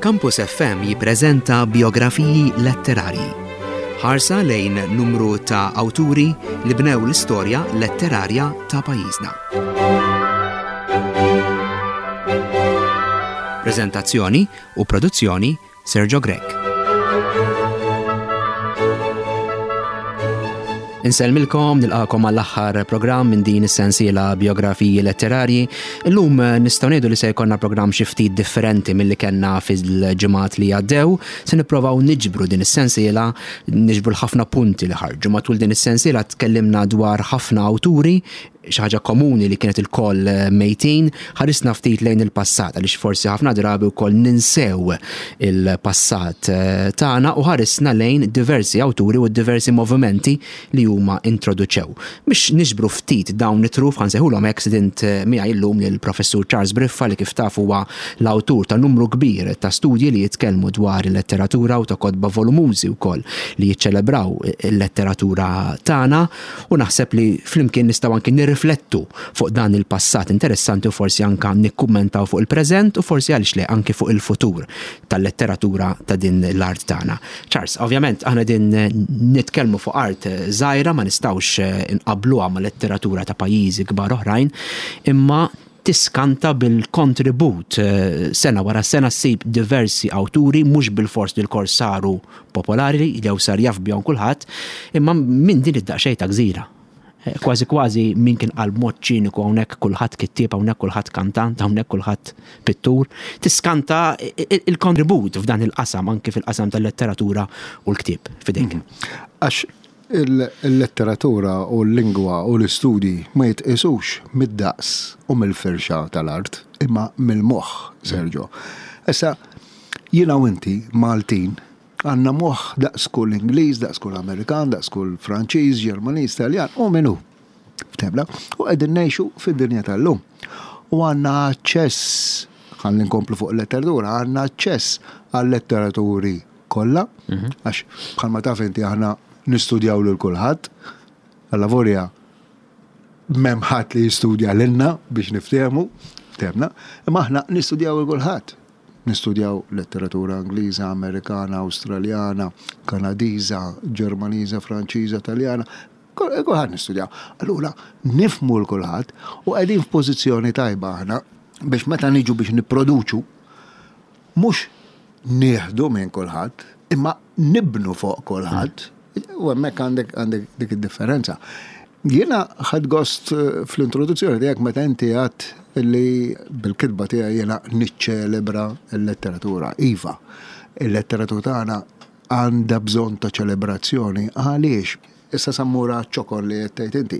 Campus FM jippreżenta biografiji letterarji. Ħarsa lejn numru ta' awturi li bnew l-istorja letterarja ta' pajjiżna. Preżentazzjoni u produzzjoni Sergio Grech. Insellmilkom, nilqakom għall-aħħar programm minn din is-sensiela biografiji letterarji. Illum eh, nistgħu ngħidu li se jkollna programm xi ftit differenti milli kellna fil-ġimgħat li għaddew. Se nipprovaw niġbru din is-sensiela, niġbru l-ħafna punti li ħarġu. Matul din is-sensiela tkellimna dwar ħafna awturi xi ħaġa komuni li kienet ilkoll eh, mejtin, ħarisna ftit lejn il-passat għaliex forsi ħafna drabi wkoll ninsew il-passat eh, tagħna u ħarisna lejn diversi awturi u diversi movimenti li huma introduċew. Biex niġbru ftit dawn it-truf ħansejħulhom hekk sidint eh, miegħi llum lill-Professur Charles Briffa li kif taf huwa l-awtur ta' numru kbir ta' studji li jitkellmu dwar il-letteratura u ta' kotba volumużi wkoll li jiċċelebraw il-letteratura tagħna. U naħseb li flimkien nistgħu anki nirriflettu fuq dan il-passat interessanti u forsi anka nikkummentaw fuq il-preżent u forsi għaliex le anki fuq il-futur tal-letteratura ta' din l-art tagħna. Charles, ovvjament aħna din nitkellmu fuq art żgħira ma nistgħux inqabbluha ma' letteratura ta' pajjiżi kbar oħrajn, imma tiskanta bil-kontribut sena wara sena ssib diversi awturi mhux bilfors li lkoll saru popolari jew sar jaf bihom kulħadd, imma minn din id-daqsxejn ta' gżira. Kważi kważi min kien qal b'mod ċiniku hawnhekk kulħadd kittieb, hawnhekk kulħadd kantant, hawnhekk kulħadd pittur. Tiskanta il-kontribut f'dan il-qasam anki fil-qasam tal-letteratura u l-ktieb f'idejk. Għax Il-letteratura u l-lingwa u l-istudji ma jitqisux mid-daqs u mill-firxa tal-art, imma mill-moħħ, Sergio. Issa, jiena u inti, Maltin, għandna moħħ daqs kull Ingliż, daqs kull Amerikan, daqs kull Franċiż, Ġermaniż, Taljan, u min hu. Ftehmna? U qegħdin ngħixu fid-dinja tal-lum. U għandna aċċess, ħalli nkomplu fuq il-letteratura, għandna aċċess għal-letteraturi kollha, għax bħalma taf inti aħna nistudjaw lil kulħadd, allavolja m'hemm ħadd li jistudja lilna biex niftehmu, ftehmna, imma aħna nistudjaw lil kulħadd. Nistudjaw letteratura Ingliża, Amerikana, Awstraljana, Kanadiża, Ġermaniża, Franċiża, Taljana, kulħadd nistudjaw. Allura nifhmu 'l kulħadd u qegħdin f'pożizzjoni tajba aħna biex meta niġu biex nipproduċu mhux nieħdu minn kulħadd, imma nibnu fuq kulħadd. U hemmhekk għandek għandek dik id-differenza. Jiena ħadt gost eh, fl-introduzzjoni tiegħek meta inti għadt li bil-kitba tiegħi jiena niċċelebra l-letteratura. Iva, il-letteratura tagħna għandha bżonn ta' ċelebrazzjoni għaliex issa sa mmur għaċ-ċokon li qed tgħid inti.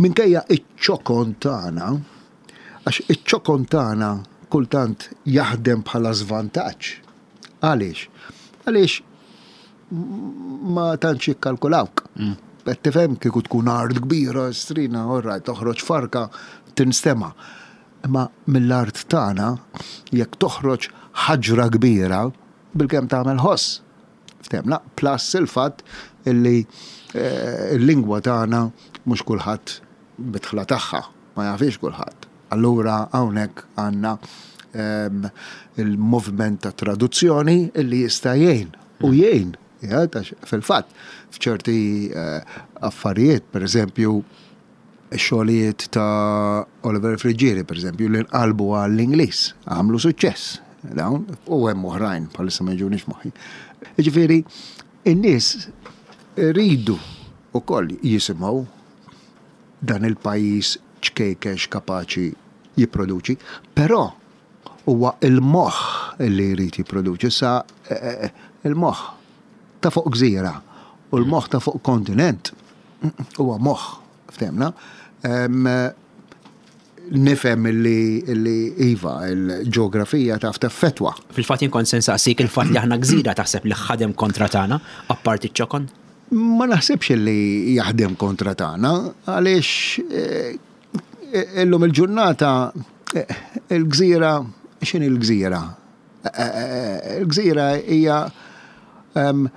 Minkejja iċ-ċokon tagħna, Għax iċ-ċokon tagħna kultant jaħdem bħala żvantaġġ. Għaliex? Għaliex ma tantx jikkalkulawk. Mm. Qed tifhem kieku tkun art kbira, strina, orra, toħroġ farka, tinstema'. Imma mill-art tagħna jekk toħroġ ħaġra kbira, bilkemm tagħmel ħoss. Ftehmna, plus il-fatt illi eh, l-lingwa tagħna mhux kulħadd bidħla tagħha. Ma jafhiex kulħadd. Allura hawnhekk għandna ehm, il-moviment ta' traduzzjoni illi jista' jgħin u jgħin. Fil-fatt, f'ċerti eh, affarijiet, per eżempju, xogħlijiet ta' Oliver Friggieri, per eżempju, li nqalbu għall-Ingliż, għamlu suċċess dawn, u hemm oħrajn bħalissa ma jiġunix moħħi. Jiġifieri, in-nies iridu wkoll jisimgħu dan il-pajjiż ċkejken x'kapaċi jipproduċi, però huwa l-moħħ li jrid jipproduċi. Issa il-moħħ ta' fuq gżira u l-moħħ ta' fuq kontinent huwa moħħ, ftehmna. Nifhem li iva, il-ġeografija taf teffettwa. Fil-fatt jien kont se nsaqsik il-fatt li aħna gżira taħseb li ħadem kontra tagħna, apparti ċ-ċokon? Ma naħsibx li jaħdem kontra tagħna għaliex eh, illum il-ġurnata eh, il-gżira x'inhi l-gżira? Eh, il-gżira hija ehm,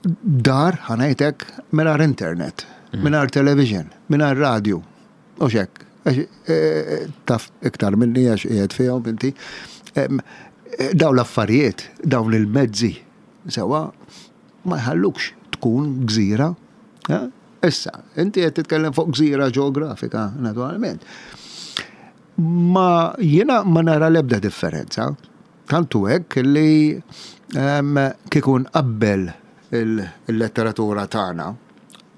dar ħanajtek mingħajr internet, mm. mingħajr television, mingħajr radio. U xek, taf iktar minni għax qiegħed fihom inti. Dawn l-affarijiet, dawn il-mezzi, sewwa, ma jħallukx tkun gżira. Issa, inti qed titkellem fuq gżira ġeografika, naturalment. Ma jiena ma nara l-ebda differenza. Tant hu hekk li kieku nqabbel il-letteratura tagħna,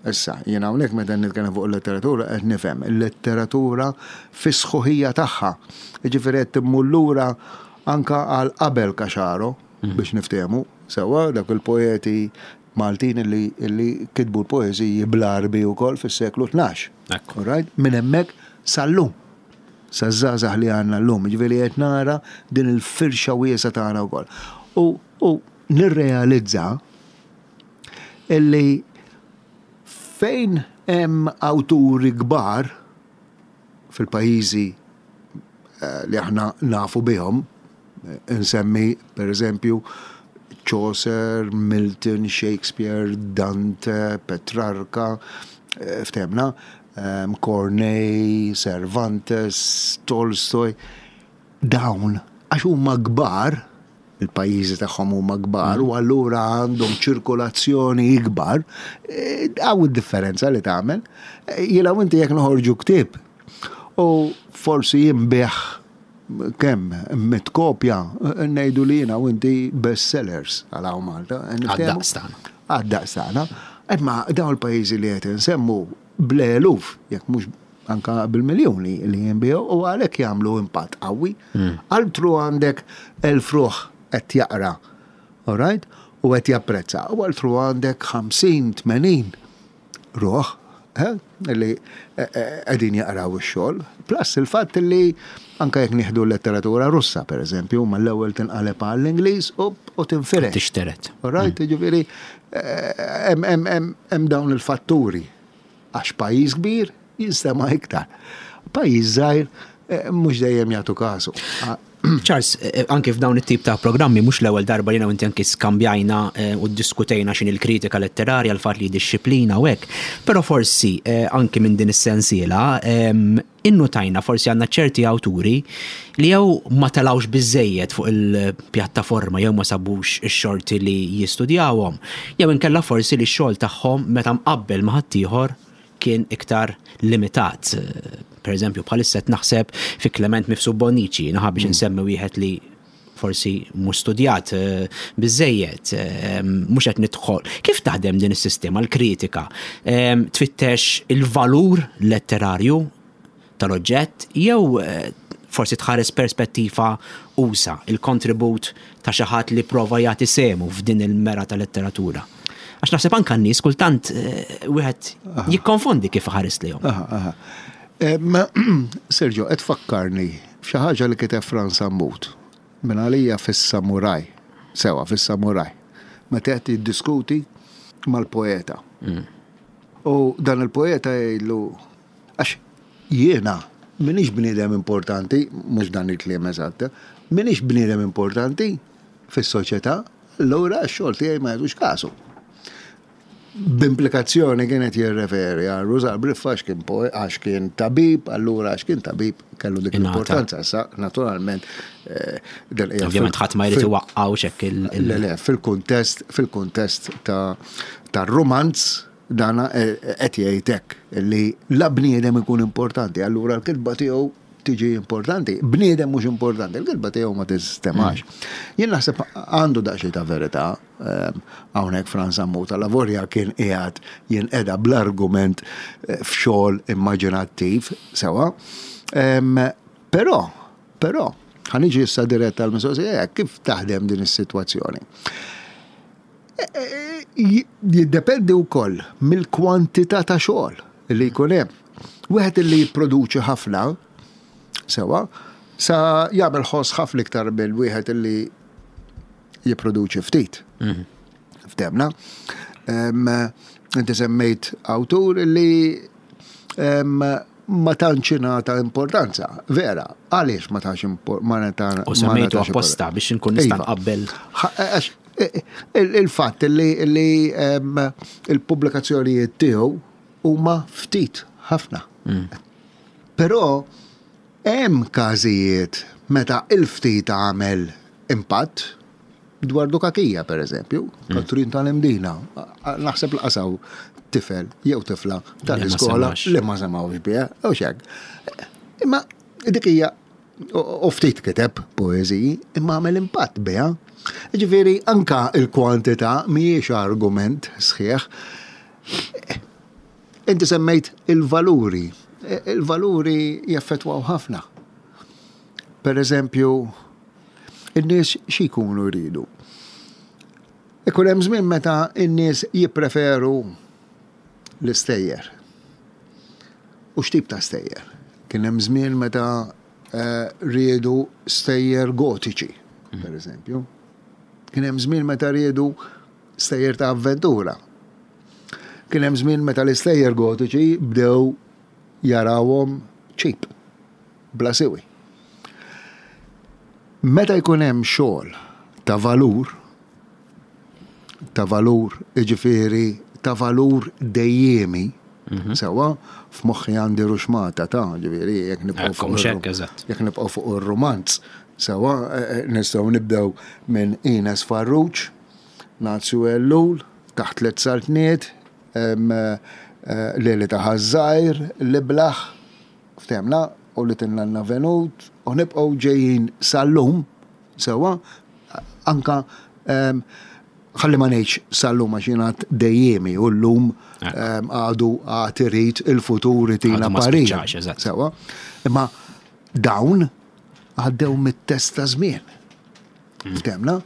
issa, jiena hawnhekk meta nitkellem fuq il-letteratura qed nifhem il-letteratura fis-sħuħija tagħha. Jiġifieri qed immur lura anke għal qabel Caxaro biex niftehmu sewwa dawk il-poeti Maltin li kitbu l-poeżiji bl-Għarbi wkoll fis-seklu 12. All right? Minn hemmhekk sal-lum. Saż-żgħażagħ li għandna llum, jiġifieri qed nara din il-firxa wiesgħa tagħna wkoll. U, u nirrealizza illi fejn hemm awturi kbar fil-pajjiżi eh, li aħna nafu bihom, insemmi per eżempju Chaucer, Milton, Shakespeare, Dante, Petrarca, eh, ftemna, Corneille, Cervantes, Tolstoy, dawn għax huma kbar, il-pajjiżi tagħhom huma kbar u allura għandhom ċirkolazzjoni ikbar, eh, hawn id-differenza li tagħmel. Eh, jiena u inti jekk noħorġu ktieb u forsi jinbigħ kemm mit kopja, eh, ngħidu li jiena u inti bestsellers għal hawn Malta. Għad-daqs tagħna. Għad-daqs tagħna. Imma dawn il-pajjiżi li qed insemmu bl-eluf, jekk mhux anka bil-miljuni li jinbiegħu u għalhekk jagħmlu impatt qawwi. Hmm. Altru għandek elf ruħ qed jaqra, all right? U qed japprezza. U altru għandek 50, 80 ruħ eh, li eh, eh, qegħdin jaqraw ix-xogħol. Plus il-fatt li anka jekk nieħdu l-letteratura Russa, per eżempju, ma l-ewwel tinqaleb għall-Ingliż u tinfirex. Tixteret. All right, hmm. ġifieri hemm dawn il-fatturi. Għax pajjiż kbir jinstema' iktar. Pajjiż żgħir eh, mhux dejjem jagħtu kasu. Charles, eh, anke f'dawn it-tip ta' programmi mhux l-ewwel darba li inti anke skambjajna eh, u ddiskutejna x'in il-kritika letterarja l-fatt li disċiplina u hekk. Però forsi anke minn din is-sensiela innutajna forsi għandna ċerti awturi li jew ma telgħux biżżejjed fuq il-pjattaforma jew ma sabux ix-xorti li jistudjawhom, jew inkella forsi li x-xogħol tagħhom meta mqabbel ma' ħaddieħor kien iktar limitat. Per eżempju, bħalissa qed naħseb fi Clement Mifsud Bonnici, naħa biex insemmi wieħed li forsi mhux studjat eh, biżejjed, eh, mhux qed nidħol. Kif taħdem din is-sistema l-kritika? Eh, tfittex il-valur letterarju tal-oġġett jew forsi tħares perspettiva usa, il-kontribut ta' xi ħadd li prova jagħti semu f'din il-mera ta' letteratura. Għax naħseb anka n-nies kultant wieħed jikkonfondi kif ħares lejhom. Sergio, qed fakkarni F'xi ħaġa li kiteb Frans Sammut, minn għalija fis-Samuraj, sewwa fis-Samuraj, meta qed jiddiskuti mal-poeta. U dan il-poeta jgħidlu, għax jiena m'iniex bniedem importanti, mhux dan il-kliem eżatt, m'iniex bniedem importanti fis-soċjetà, allura x-xogħol tiegħi ma jagħtux kasu. B'implikazzjoni kien qed jirreferi għal Rużar Briffa għax kien għax kien tabib, allura għax kien tabib kellu dik l-importanza. Sa naturalment eh, Ovvjament ħadd ma jrid iwaqqgħu x'hekk il- Le, le, fil-kuntest fil-kuntest ta' tar-rumanz dana eh, qed jgħid hekk li la bniedem ikun importanti, allura l-kitba tiegħu tiġi importanti. Bniedem mhux importanti, l-kitba tiegħu ma tistemax. Jien naħseb għandu daqsxejn ta' verità Hawnhekk Frans Sammut allavolja kien qiegħed jinqeda bl-argument eh, f'xogħol immaġinattiv sewwa. Però, però, ħaniġi issa dirett għall-mistoqsija kif taħdem din is-sitwazzjoni. E, e, e, jiddependi wkoll mill-kwantità ta' xogħol li jkun hemm. Wieħed li jipproduċi ħafna, sewa, sa jagħmel ħoss ħafna iktar mill wieħed li jipproduċi ftit. Mhm. Ftemna. Inti semmejt awtur li ma tantx ingħata importanza. Vera, għaliex ma tantx importanza? U semmejtu apposta biex inkun nista' iva. nqabbel. E, e, il-fatt li il-pubblikazzjonijiet tiegħu huma ftit ħafna. Mm. Però hemm każijiet meta il-ftit għamel. impatt dwar Dukakija, per eżempju, Katrin tal-Imdina. Naħseb l-qasaw tifel jew tifla tal-iskola li ma semgħux biha, u xek. Imma dik hija u ftit kiteb poeżiji, imma għamel impatt biha. Ġifieri anka il-kwantità mhijiex argument sħiħ. Inti semmejt il-valuri. Il-valuri jaffettwaw ħafna. Per eżempju, in-nies xi jkunu jridu? Ikun hemm żmien meta n-nies jippreferu l-istejjer. U x'tip ta' stejjer? Kien hemm żmien meta eh, riedu stejjer gotiċi, per eżempju. Kien hemm żmien meta riedu stejjer ta' avventura. Kien hemm żmien meta l-istejjer gotiċi bdew jarawhom cheap, bla siwi. Meta jkun hemm xogħol ta' valur, ta' valur, jiġifieri ta' valur dejjiemi, mhm. sewwa, f'moħħi għandi ruxmata ta' ġifieri jekk nibqgħu fuq jekk nibqgħu fuq ir-rumanz, sewwa eh, eh, nistgħu nibdew minn Ines Farrugia, Nazju Ellul, Taħt Tliet Saltniet, eh, Leli ta' Ħaż-Żgħir, L-Iblah, ftehmna, u li tinna venut, u nibqgħu ġejjin sal-lum, sewwa, anka ħalli ma ngħidx sal-lum għax jiena dejjemi u llum għadu għad irid il-futur itina parir. Sewwa. Imma dawn għaddew mit-test ta' żmien. Mm. Ftemna,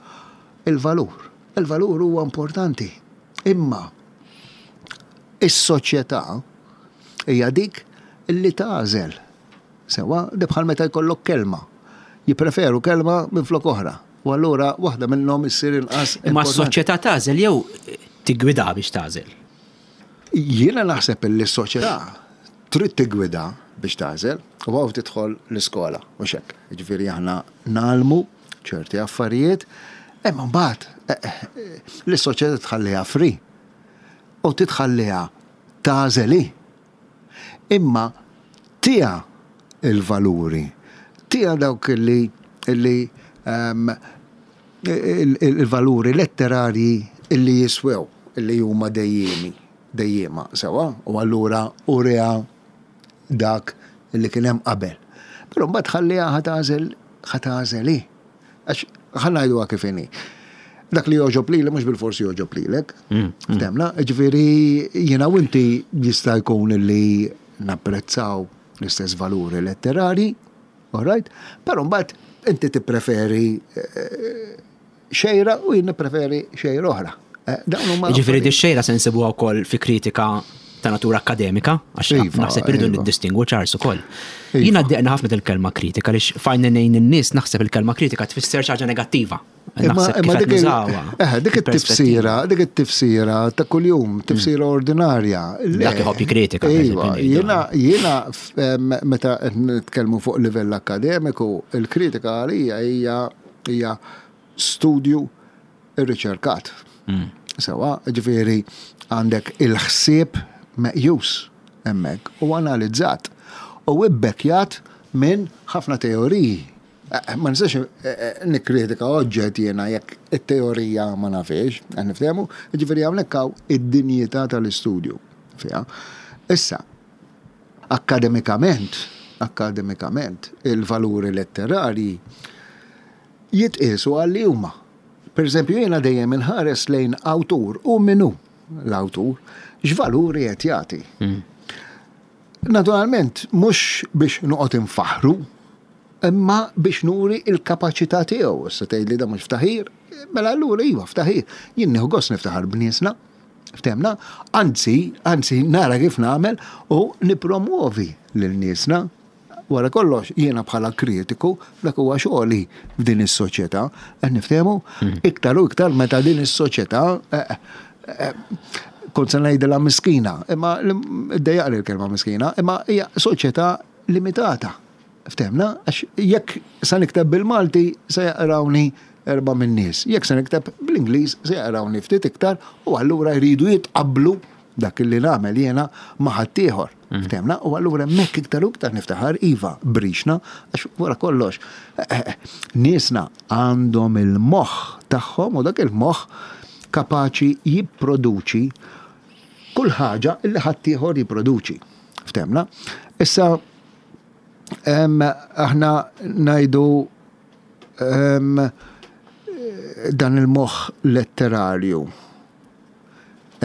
il-valur. Il-valur huwa importanti. Imma is-soċjetà hija dik li tagħżel. Sewwa, di bħal meta jkollok kelma. Jippreferu kelma minflok oħra. U allura waħda minnhom issir inqas. Imma s-soċjetà tagħżel jew tiggwida biex tagħżel? Jiena naħseb li s-soċjetà trid tiggwida biex tagħżel u hawn tidħol l-iskola, mhux hekk. Jiġifieri aħna ngħallmu ċerti affarijiet, imma mbagħad eh, eh, l-soċjetà tħalliha free u titħalliha tagħżel hi. Imma tiha il-valuri, tiha dawk li li ehm, il-valuri letterarji illi jiswew, illi huma dejjiemi, dejjiema sewa, u allura uriha dak li kien hemm qabel. Però mbagħad ħalliha ħa tagħżel ħa tagħżel hi. Għax ħa ngħiduha kif inhi. Dak li jogħġob lili mhux bilfors jogħġob lilek. Mm, mm. Temna, ġifieri jiena u inti jista' jkun li napprezzaw l-istess valuri letterari, all right? Però mbagħad inti tippreferi eh, xejra u jien nippreferi xejra oħra. Eh, Ġifieri di xejra se nsibuha wkoll fi kritika ta' natura akademika, għax iva, naħseb irridu iva. niddistingwu ċars ukoll. Iva. Jiena ddeqna ħafna il-kelma kritika lix fajna nejn in-nies naħseb il-kelma kritika tfisser xi ħaġa negattiva. Naħseb kif eh, dik it-tifsira, dik it-tifsira ta' kuljum, tifsira mm. ordinarja. Dak iħobb kritika. Iva, jiena jiena meta nitkellmu fuq livell akademiku, il-kritika għalija hija hija studju irriċerkat. Mm. Sewa, ġifieri għandek il-ħsieb meqjus hemmhekk u analizzat u ibbekkjat minn ħafna teoriji. Eh, eh, ma nistax eh, nikkritika oġġett jiena jekk it-teorija ma nafiex, qed niftehmu, ġifieri hawnhekk hawn id-dinjità tal-istudju fiha. Issa, akademikament, akademikament, il-valuri letterarji jitqiesu għal li huma. Per eżempju, jiena dejjem inħares lejn awtur u min hu l-awtur, x'valuri qed jagħti. Mm. Naturalment, mhux biex noqgħod infaħru, imma biex nuri il-kapaċità tiegħu. Issa tgħidli da mhux ftaħir, mela allura iva ftaħir. Jien nieħu gost niftaħar b'niesna, ftemna, anzi, anzi nara kif nagħmel u nipromuovi lil niesna Wara kollox, jiena bħala kritiku, dak huwa xogħli f'din is-soċjetà, qed niftehmu, mm. iktar u iktar meta din is-soċjetà eh, eh, kont se ngħidilha miskina, imma ddejjaqli l-kelma miskina, imma hija soċjetà limitata. Ftemna, għax jekk se nikteb bil-Malti se jaqrawni erba' minn nies, jekk se nikteb bl-Ingliż se jaqrawni ftit iktar u allura jridu jitqabblu dak li nagħmel jiena ma' ħaddieħor. Ftehmna? U allura hemmhekk iktar u iktar niftaħar iva brixna għax wara kollox niesna għandhom il-moħħ tagħhom u dak il-moħħ kapaċi jipproduċi kull ħaġa li ħaddieħor jipproduċi. Ftehmna? Issa aħna ngħidu dan il-moħħ letterarju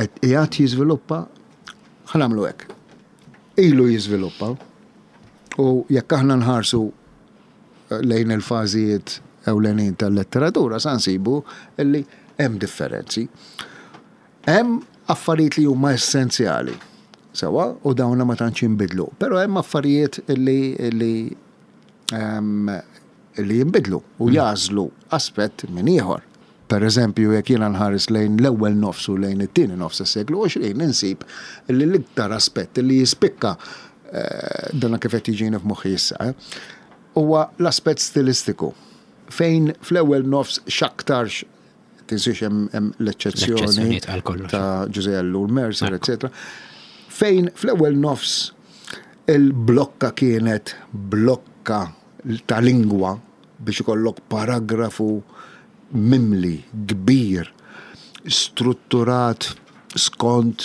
qed qiegħed jiżviluppa, ħa nagħmlu hekk. Ilu jiżviluppa u jekk aħna nħarsu lejn il-fażijiet ewlenin tal-letteratura sa nsibu li hemm differenzi. Hemm affarijiet li huma essenzjali, sewwa, u dawna ma tantx jinbidlu, però hemm affarijiet li li li jinbidlu u jagħżlu aspett minn ieħor. Per eżempju, jekk jiena nħares lejn l-ewwel nofs u lejn it-tieni nofs tas-seklu 20 insib li l-iktar aspett li jispikka, dana kif qed jiġini f'moħħi issa, huwa l-aspett stilistiku. Fejn fl-ewwel nofs x'aktarx, tinsiex hemm l-eċċezzjoni ta' Ġużè Ellul Mercer, eċċetera. Fejn fl-ewwel nofs il-blokka kienet blokka ta' lingwa biex ikollok paragrafu mimli, kbir, strutturat skont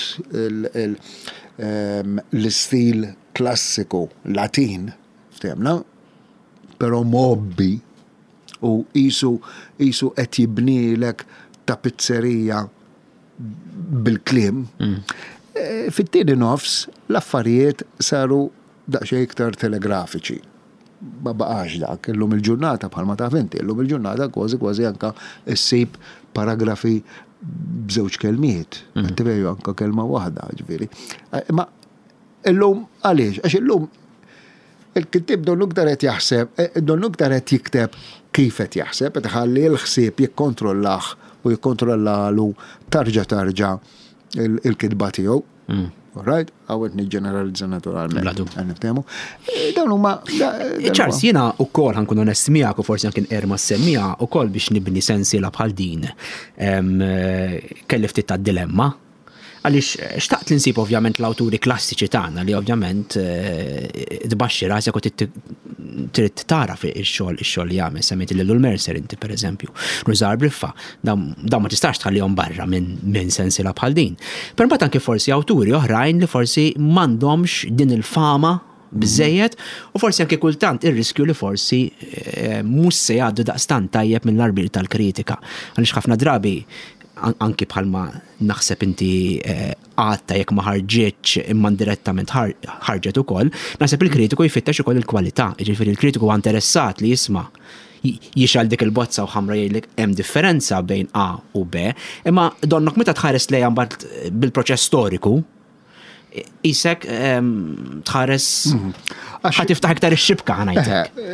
l-istil klassiku Latin, ftehemna, però mgħobbi u qisu qisu qed jibnilek tapizzerija bil-kliem. Fit-tieni nofs l-affarijiet saru daqsxejn iktar telegrafiċi. Ma baqax dak. Illum il-ġurnata, bħalma taf inti, illum il-ġurnata kważi kważi anka ssib paragrafi b'żewġ kelmiet. Qed anka kelma waħda, ġifieri. Imma illum għaliex? Għax illum il-kittieb donnu iktar qed jaħseb, donnu iktar qed jikteb kif qed jaħseb, qed iħalli l-ħsieb jikkontrollah u jikkontrollalu tarġa' tarġa' il-kitba tiegħu. All right? Għawet niġġeneralizza naturalment. Bla dubju. Għan niftehmu. Dawn huma. Charles, jiena wkoll ħankun onest miegħek u forsi anke nqer ma semmija wkoll biex nibni sensiela bħal din. Kelli ftit ta' dilemma. Għaliex xtaqt li nsib ovvjament l-awturi klassiċi tagħna li ovvjament tbaxxi rasek u trid tara fi ix-xogħol ix-xogħol li jagħmel. Semmejt lil Mercer inti pereżempju. Rużar Briffa, dawn ma tistax tħallihom barra minn sensiela bħal din. Però mbagħad anke forsi awturi oħrajn li forsi m'għandhomx din il-fama biżżejjed u forsi anke kultant ir-riskju li forsi mhux se jgħaddu daqstant tajjeb mill-arbir tal-kritika. Għaliex ħafna drabi anki bħalma naħseb inti għadta jekk ma ħarġitx imma indirettament ħarġet ukoll, naħseb il-kritiku jfittex ukoll il-kwalità, jiġifieri l-kritiku huwa interessat li jisma' jixgħel dik il-bozza u ħamra jgħidlek hemm differenza bejn A u B, imma donnok meta tħares lejha mbagħad bil-proċess storiku, isek tħares ħa tiftaħ iktar ix-xibka ħa ngħidlek.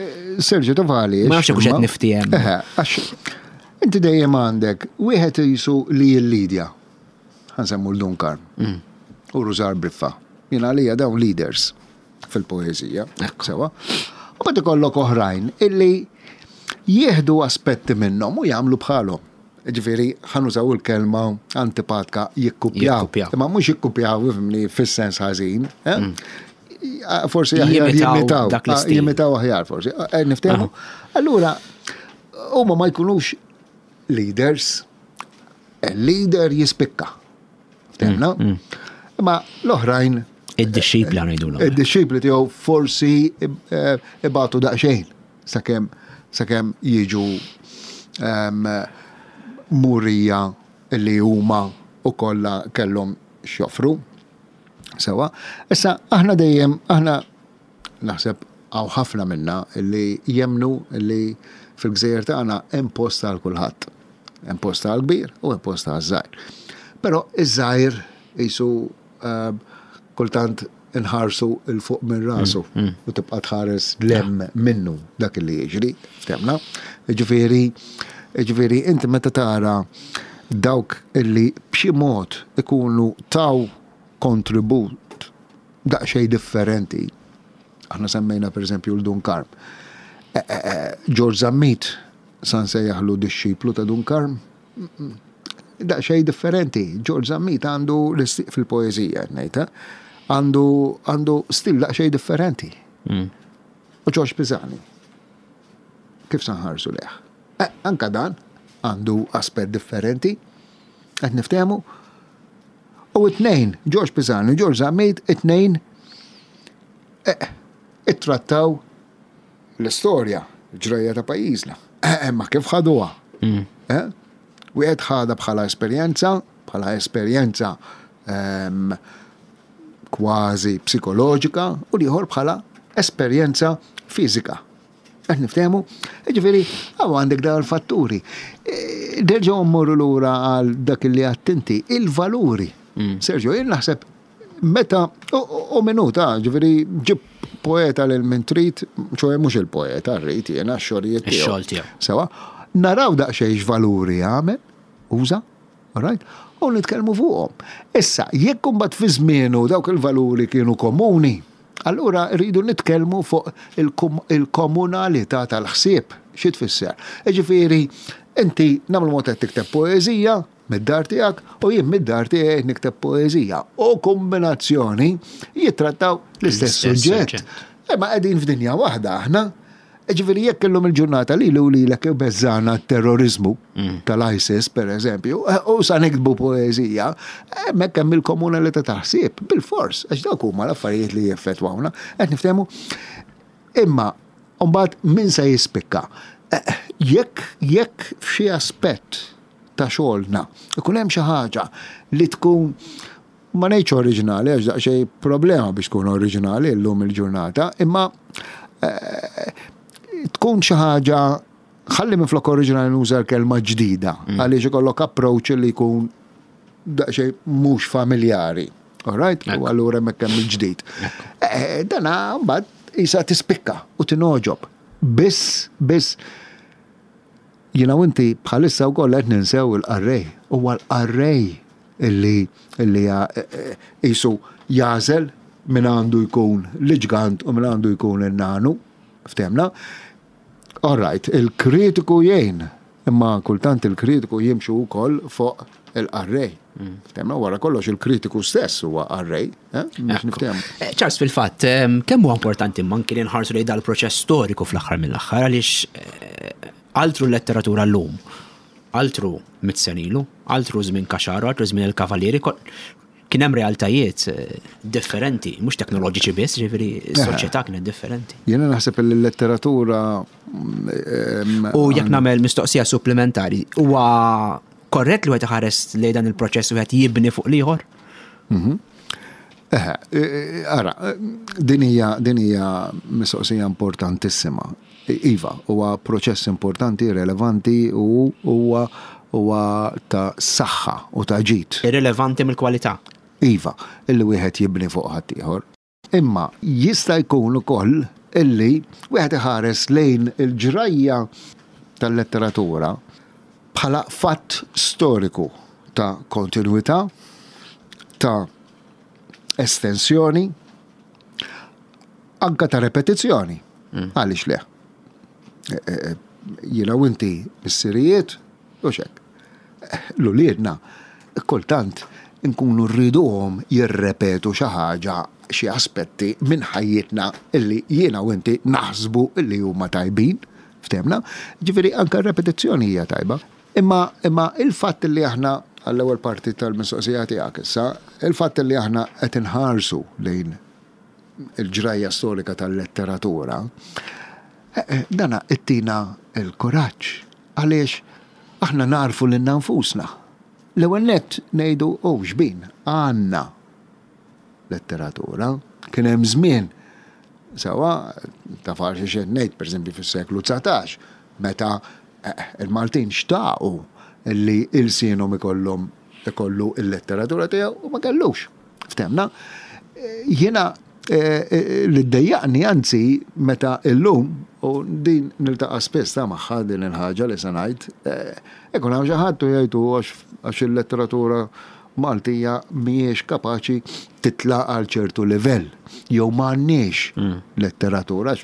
Sergio Tovali. Ma nafx hekk qed niftiehem. Għax inti dejjem għandek wieħed jisu li jillidja. Ħa nsemmu l-Dun Karm. U Rużar Briffa. Jien għalija dawn leaders fil-poeżija. Sewa. U mbagħad ikollok oħrajn illi jieħdu aspetti minnhom u jagħmlu bħalhom. Ġifieri, ħa nużaw il-kelma antipatka jikkupjaw. Imma mhux jikkupjaw, ifhimni, fis-sens ħażin. Forsi aħjar jimitaw. Jimitaw aħjar forsi. Niftehmu. Allura, huma ma jkunux leaders. Il-leader jispikka. Ftehmna? Imma l-oħrajn. Id-dixxipli ngħidulhom. Id-dixxipli tiegħu forsi ibatu daqsxejn. Sakemm sakemm jiġu murija li huma wkoll kellhom x'joffru. Sewwa. Issa aħna dejjem aħna naħseb hawn ħafna minna li jemmnu li fil-gżejjer tagħna hemm post għal kulħadd. Hemm post għal kbir u hemm post għal żgħir. Però iż-żgħir qisu kultant inħarsu 'l fuq minn rasu u tibqa' tħares 'l hemm minnu dak li jiġri, ftemna. Jiġifieri, jiġifieri inti meta tara dawk illi b'xi mod ikunu taw kontribut daqsxejn differenti, aħna semmejna pereżempju 'l Dun Karm. George Zammit sa nsejjaħlu dixxiplu ta' Dun Karm? Daqsxejn differenti. George Zammit għandu fil-poeżija qed ngħid, eh? Għandu għandu stil daqsxejn differenti. U Ġorġ Pisani, kif sa nħarsu lejh? Eh, anka dan għandu aspett differenti, qed niftehmu. U it-tnejn, Ġorġ Pisani u Ġorġ Zammit, it-tnejn eh, ittrattaw l-istorja, ġrajja ta' pajjiżna. Eh, ma kif ħaduha? Eh? Wieħed ħadha bħala esperjenza, bħala esperjenza ehm, kważi psikoloġika u l-ieħor bħala esperjenza fiżika. Qed niftehmu? Ġifieri, hawn għandek dawn il-fatturi. E, nerġgħu mmorru lura għal dak li għattinti, il-valuri. Sergio, jien naħseb meta u minuta, ġifieri ġib poeta lil min trid, ċoe mhux il-poeta rrid jiena x-xogħlijiet tiegħu. Ix-xogħol tiegħu. Sewa, naraw daqsxejn x'valuri għamel, uża, Alright? U nitkellmu fuqhom. Issa, jekk imbagħad fi żmienu dawk il-valuri kienu komuni, allura rridu nitkellmu fuq il-komunalità tal-ħsieb. Xi tfisser? Jiġifieri, inti nagħmlu mod qed tikteb poeżija mid-dar tiegħek u jien mid-dar tiegħi qed nikteb poeżija. U kombinazzjoni jittrattaw l-istess suġġett. Imma qegħdin f'dinja waħda aħna. Ġifieri jekk illum il-ġurnata li u lilek ibeżżana t-terrorizmu mm. tal-ISIS, per eżempju, eh, u sa niktbu poeżija, hemmhekk hemm il-komunalità ta' ħsieb, bil-fors, għax dawk huma l-affarijiet li jeffettwawna, qed niftehmu. Imma mbagħad min se jispikka? Eh, jekk jekk f'xi aspett ta' xogħolna ikun hemm xi ħaġa li tkun ma ngħidx oriġinali għax daqsxejn problema biex tkun oriġinali llum il-ġurnata, imma eh, tkun xi ħaġa ħalli minflok oriġinali nuża l-kelma ġdida, mm. għaliex ikollok approach li jkun daqsxejn mhux familjari. All right? U allura hemmhekk hemm il-ġdid. Eh, dana mbagħad isa tispikka u tinoġob. Biss, biss, jiena u inti bħalissa wkoll qed ninsew il-qarrej. Huwa l-qarrej illi illi qisu jagħżel min għandu jkun l-ġgant u min għandu jkun in-nanu. Ftehmna? All right, il-kritiku jgħin, imma kultant il-kritiku jimxu wkoll fuq il-qarrej. Mm. Ftehmna wara kollox il-kritiku stess huwa qarrej, eh? biex niftehmu. Eh, Charles, fil-fatt, kemm huwa importanti manki li nħarsu lejn dal-proċess storiku fl-aħħar mill-aħħar għaliex eh, altru l-letteratura llum Altru mit sena ilu, altru żmien Caxaro, altru żmien il-Kavalieri, kien hemm realtajiet eh, differenti, mhux teknoloġiċi biss, ġifieri s-soċjetà kienet differenti. Jiena naħseb li l-letteratura mm, U jekk nagħmel mistoqsija supplementari, huwa korrett li wieħed iħares lejn dan il-proċess wieħed jibni fuq l-ieħor? Mhm. Eħe, e, e, ara, din hija din hija mistoqsija importantissima. Iva, huwa proċess importanti, relevanti u huwa huwa ta' saħħa u ta' ġid. Irrilevanti mill-kwalità. Iva, illi wieħed jibni fuq ħaddieħor. Imma jista' jkun ukoll illi wieħed iħares lejn il-ġrajja tal-letteratura bħala fatt storiku ta' kontinwità, ta' estensjoni, anka ta' repetizzjoni. Mm. Għaliex le? E, e, e, jiena u inti missirijiet, u xek. L-uliedna, kultant nkunu rriduhom jirrepetu xi ħaġa, xi aspetti minn ħajjitna illi jiena u inti naħsbu illi huma tajbin, ftehmna. Ġifieri anke r-repetizzjoni hija tajba. Imma imma il-fatt li aħna għall-ewwel parti tal-mistoqsija tiegħek issa, il-fatt li aħna qed inħarsu lejn il-ġrajja storika tal-letteratura, eh, eh, dana ittina l-kuraġġ għaliex aħna narfu lilna nfusna. L-ewwel nett ngħidu oh xbin għandna letteratura. Kien hemm żmien sewwa taf għal xiex qed ngħid, pereżempju fis-seklu 19, meta eh, il-Maltin xtaqu li ilsienhom ikollhom ikollu il-letteratura tiegħu u ma kellux. Ftemna? Jiena eh, eh, li ddejjaqni anzi meta illum u din niltaqa' spiss ta' magħha din il-ħaġa li se ngħid, ikun hawn xi ħadd u jgħidu għax il-letteratura Maltija mhijiex kapaċi titla' għal ċertu livell jew m'għandniex mm. letteratura.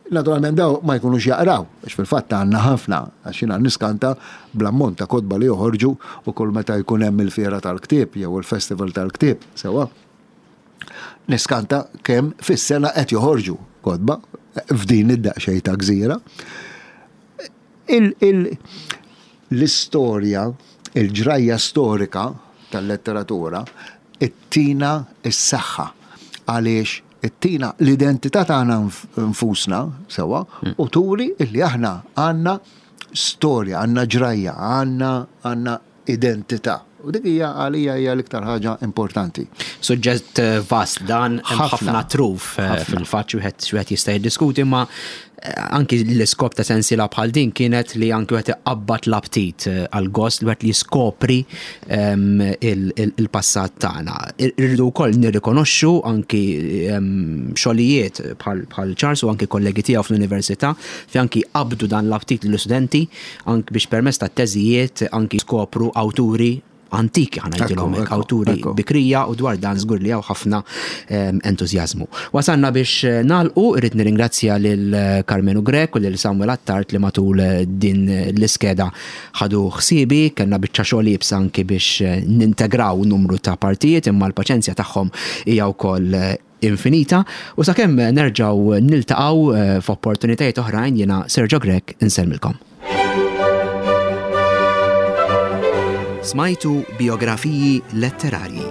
Naturalment daw ma jkunux jaqraw, għax fil-fatt għandna ħafna, għax jiena niskanta bl-ammont ta' kotba li joħorġu u kull meta jkun hemm il-fiera tal-ktieb jew il-festival tal-ktieb, sewa. Niskanta kemm fis-sena qed joħorġu kotba f'din id-daqsxejn ta' gżira. L-istorja, il-ġrajja storika tal-letteratura ttina s-saħħa għaliex ittina l-identità tagħna nfusna sewwa u turi illi aħna għandna storja, għandna ġrajja, għandna għandna identità. U dik hija għalija hija l-iktar ħaġa importanti. Suġġett eh, vast dan hemm ħafna truf eh, fil-fatt wieħed wieħed jista' jiddiskuti ma eh, anki l-iskop ta' sensiela bħal din kienet li anki wieħed iqabbad l-aptit għal gost li wieħed li jiskopri ehm, il-passat tagħna. Irridu wkoll nirrikonoxxu anki ehm, xogħlijiet bħal Charles u anki kollegi tiegħu fl-università fi anki qabdu dan l-aptit lill-istudenti anki biex permezz ta' teżijiet anki skopru awturi antiki ħa ngħidilhom hekk, awturi bikrija u dwar dan żgur li hawn ħafna ehm, entużjażmu. Wasalna biex eh, nagħlqu, irrid nirringrazzja lil eh, Karmenu Grech u lil Samuel Attard li matul eh, din l-iskeda ħadu ħsiebi, kellna biċċa xogħol iebsa anki biex nintegraw numru ta' partijiet imma l-paċenzja tagħhom hija wkoll infinita u sakemm nerġgħu niltaqgħu eh, f'opportunitajiet oħrajn jiena Sergio Grech insellmilkom. Smajtu biografiji letterarji.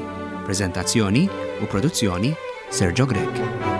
Prezentazzjoni u produzzjoni Sergio Grech.